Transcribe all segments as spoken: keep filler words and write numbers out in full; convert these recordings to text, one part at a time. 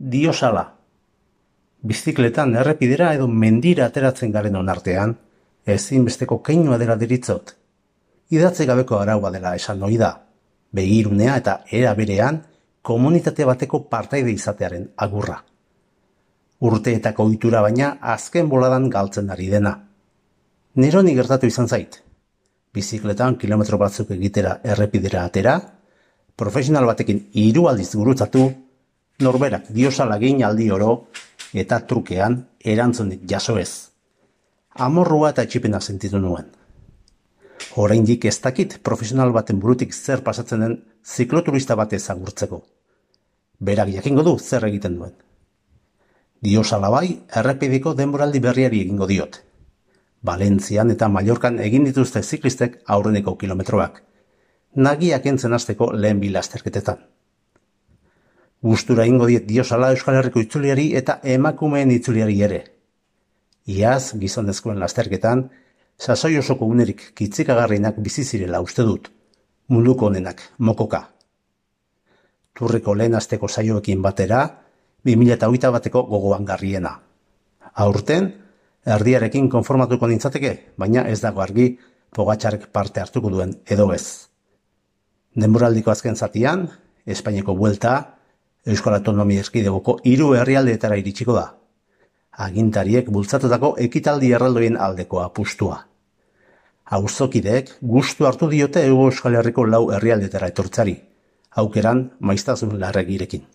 Diosala. Bizikletan errepidera edo mendira ateratzen garen onartean, ezinbesteko keinua dela deritzot. Idatzi gabeko araua dela esan ohi da, begirunea eta era berean komunitate bateko partaide izatearen agurra. Urteetako ohitura baina azken boladan galtzen ari dena. Neroni gertatu izan zait. Bizikletan kilometro batzuk egitera errepidera atera, profesional batekin hiru aldiz gurutzatu, norberak diosala egin aldi oro eta trukean erantzunik jaso ez. Amorrua eta etxipena sentitu nuen. Oraindik ez dakit profesional baten burutik zer pasatzen den zikloturista bat ezagurtzeko. Berak jakingo du zer egiten duen. Diosala bai, errepideko denboraldi berriari egingo diot. Valentzian eta Mallorcan egin dituzte ziklistek aurreneko kilometroak. Nagiak entzen hasteko lehen bi lasterketetan. Gustura egingo diet Diosala Euskal Herriko itzuliari eta emakumeen itzuliari ere. Iaz, gizonezkoen lasterketan, sasoi osoko unerik kitzikagarrienak bizi zirela uste dut, munduko honenak mokoka. Turreko lehen asteko saioekin batera, bi mila hogeita bateko gogoan garriena. Aurten, erdiarekin konformatuko nintzateke, baina ez dago argi Pogačarek parte hartuko duen edo ez. Denboraldiko azken zatian, Espainiako buelta, Euskal Autonomia Erkidegoko hiru herrialdeetara iritsiko da. Agintariek bultzatutako ekitaldi erraldoien aldeko apustua. Auzokideek gustu hartu diote Hego Euskal Herriko lau herrialdetara etortzari, aukeran maiztasun larregirekin.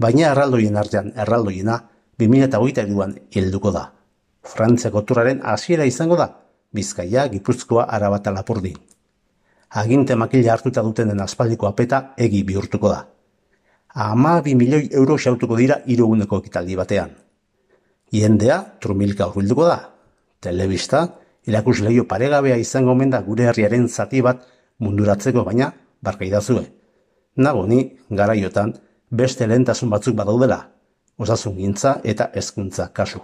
Baina erraldoien artean erraldoiena bi mila hogeita hiruan helduko da. Frantziako turraren hasiera izango da, Bizkaia, Gipuzkoa, Araba eta Lapurdin. Aginte makila hartuta dutenen aspaldiko apeta egi bihurtuko da. Hamabi milioi euro xautuko dira hiru eguneko ekitaldi batean. Jendea trumilka hurbilduko da. Telebista, erakusleio paregabea izango omen da gure herriaren zati bat munduratzeko, baina barkaidazue. Nago ni garaiotan beste lehentasun batzuk badaudela, osasungintza eta hezkuntza kasu.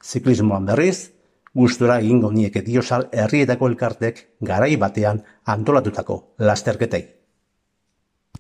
Ziklismoan berriz, gustura egingo nieke Diosal herrietako elkartek garai batean antolatutako lasterketei.